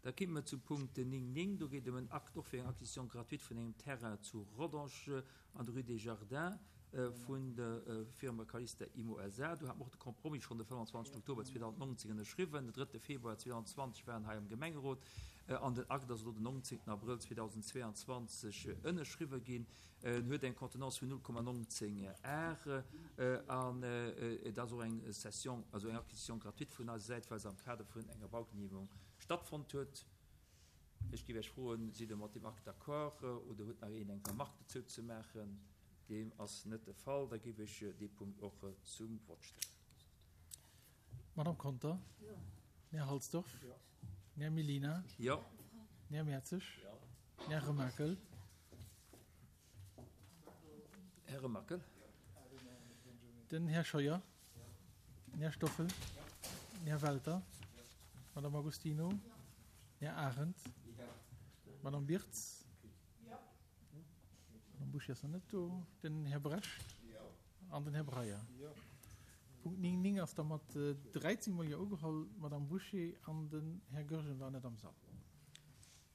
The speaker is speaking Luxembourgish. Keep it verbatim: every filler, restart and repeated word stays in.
Da kimme mer zum Punkt néng néng. Do geet et ëm en Akt och fir eng Acquisition gratuite vun engem Terrain zu Rodange an der Rue des Jardins vun der Firma Calista Immo S A. Do hate mer och de Compromis schonn de fënnwanzwanzegsten Oktober zweedausendnonzéng ënnerschriwwen. Den drëtte Februar zweedausendenzwanzeg war en hei am Gemengerot an den Akt ass elo den nonzéngten Abrëll zweedausendzweeanzwanzeg ënnerschriwwe ginn. En huet eng Contenance vun null Komma nonzéng Ar an et ass och eng Cession, also eng Acquisition gratuite vun eiser Säit, well se am Kader vun enger Baugenehmegung stattfonnt huet. Ech géif Iech froen, Sidd Der mat deem Akt d'accord oder huet nach een eng Remarque dozou ze maachen? Deem ass net de Fall. Da géif ech dee Punkt och zum Vott stellen. Madame Conter? Jo. Här Halsdorf? Jo. Här Mellina? Jo. Här Mertzig? Jo. Här Remakel? Här Remakel? Den Här Scheuer? Den Här Stoffel? Den Här Welter? Madame Agostino? Den Här Arendt? Madame Birtz? Madame Bouché ass nach net do. Den Här Brecht? An den Här Breyer? Punkt néng néng ass da mat dräizéng mol Jo ugeholl. D'Madame Bouché an den Här Goergen waren net am Sall.